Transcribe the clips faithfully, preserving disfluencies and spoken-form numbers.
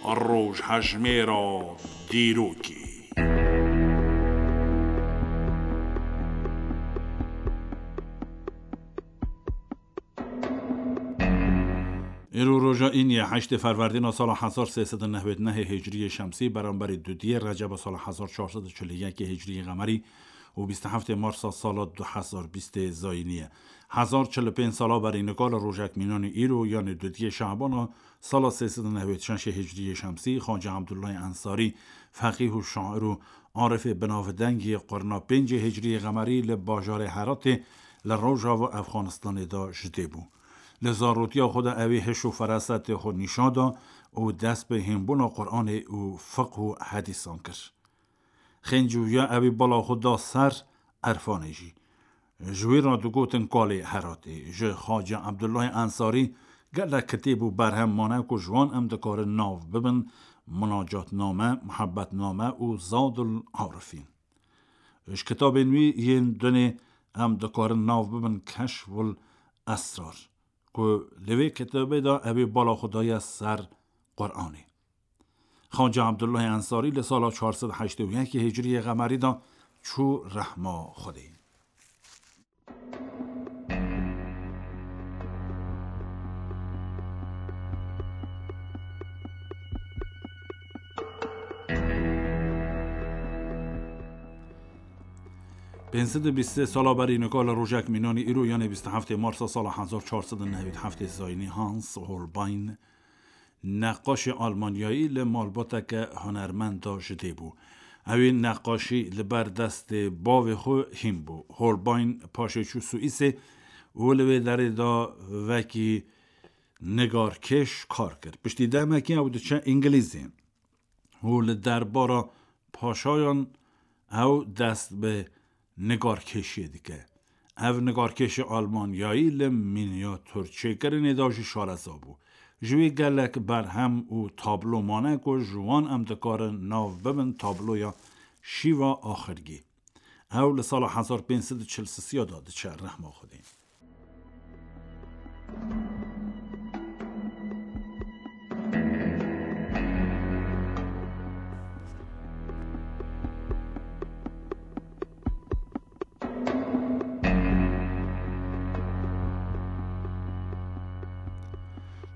Rojhejmêra dîrokê. Îro roja îniyê heştê Ferwerdîna sala hezar sê sed û nehwêd nehê Hicriyê Şemsî, beramberî dudiyê Receba sala hezar çar sed û çil û yekê Hicriyê Qemerî û bîst û heftê Marsa sala du hezar bîstê Zayînî ye. Hezar çil û pênc sala berî nika li rojek mînanî îro, yanê dudiyê Şabana sala sê sed û nehwêd şeşê Hicriyê Şemsî, Xacî Ebdullahê Ensarî, feqîh û şair û arifê binavdengî qurna pêncê Hicriyê Qemerî li bajarê Heratê li rojava Efxanistanê de ji dê bû. Li zarotiya xwe de ewî hiş û ferasetê xwe nîşan da û dest bi hînbûna Quranê û fiqh û hedîsan kir. Xêncî wî ya ewî bala xwe da ser erfanê jî. Ji wî re digotin kalê Heratê. Ji Xacî Ebdullahê Ensarî gelek kitêb û berhem mane ku ji wan em dikarin nav bibin Munacatname, Muhebbetname û Zadul Arifîn. Ji kitabên wî yên dunê em dikarin nav bibin Keşful Esrar, ku li vê kitabê de ewê bala xwe daye ser Quranê. Xacî Ebdullahê Ensarî li sala çar sed heştê û yekê Hicriyê Qemerî de çû rehma Xwedê. Pênc sed û bîst sê sala berî nika li rojek mînanî îro, yanê bîst û heftê Marsa sala hezar çar sed û nehwêd heftê Zayînî, Hans Holbein, neqaşê Almanyayî, li malbateke hunermend de ji dê bû. Ewî neqaşî li ber destê bavê xwe hîn bû. Holbein paşê çû Swîsê û li wê derê de wekî nigarkêş kar kir. Piştî demekî ew diçe Îngilîzê û li derbara paşayan ew dest bi nigarkêşiyê dike. Ev nigarkêşê Almanyayî li mînyaturçêkirinê de jî şareza bû. Ji wî gelek berhem û tablo mane ku ji wan em dikarin nav bibin tabloya Şîva Axirgî. Ew li sala hezar pênc sed û çil sisiya de diçe rehma Xwedê.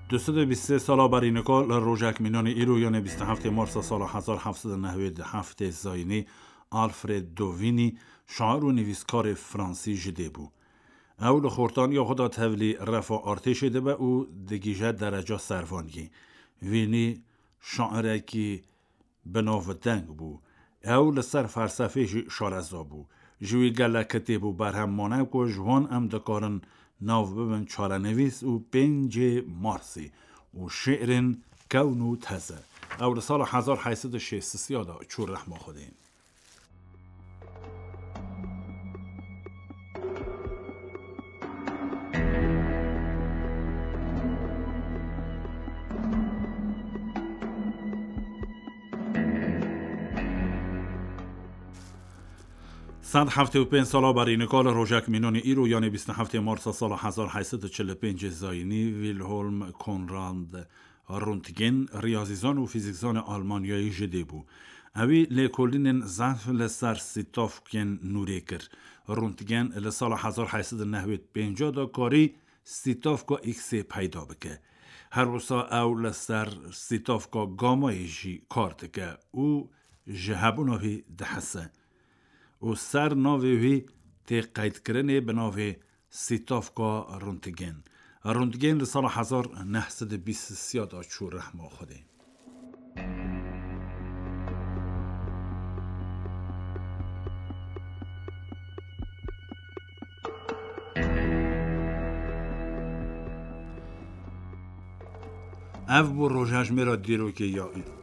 Du sed û bîst sê sala berî nika li rojek mînanê îro, yanê bîst û heftê Marsa sala hezar heft sed û nehwêd heftê Zayînî, Alfred Dovînî, şair û nivîskarê fransî ji dê bû. Ew li xortaniya xwe de tevlî refa artêşê dibe û digihîje dereca servangî. Vînî şairekî binavdeng bû. Ew li ser felsefê jî şareza bû. Ji wî gelek kitêb û berhem mane ku ji wan em dikarin nav bibin çarenivîs û pêncê Marsî û şi'rên kewn û teze. Ew li sala hezar heyt sed û şêst sisiya de çû rehma Xwedê. Sed heftê û pênc sala berî nika li rojek mînanê îro, yanê bîst û heftê Marsa sala hezar heyt sed û çil û pêncê Zayînî, Wilhelm Conrad Röntgen, riyazîzan û fîzîkzanê Almanyayî ji dê bû. Ewî lêkolînên zehf li ser stîtavkên nûrê kir. Röntgen li sala hezar heyt sed û nehwêd pênc de karî stîtavka X-ê peyda bike. Her wisa ew li ser stîtavka gamayê jî kar dike û ji hebûna wî dihese. Û ser navê wî tê qeydkirinê bi navê Stîtavka Röntgen. Röntgen li sala hezar neh sed û bîst sisiya de çû rehma Xwedê. Ev bû rojhejmêra dîrokê ya îro.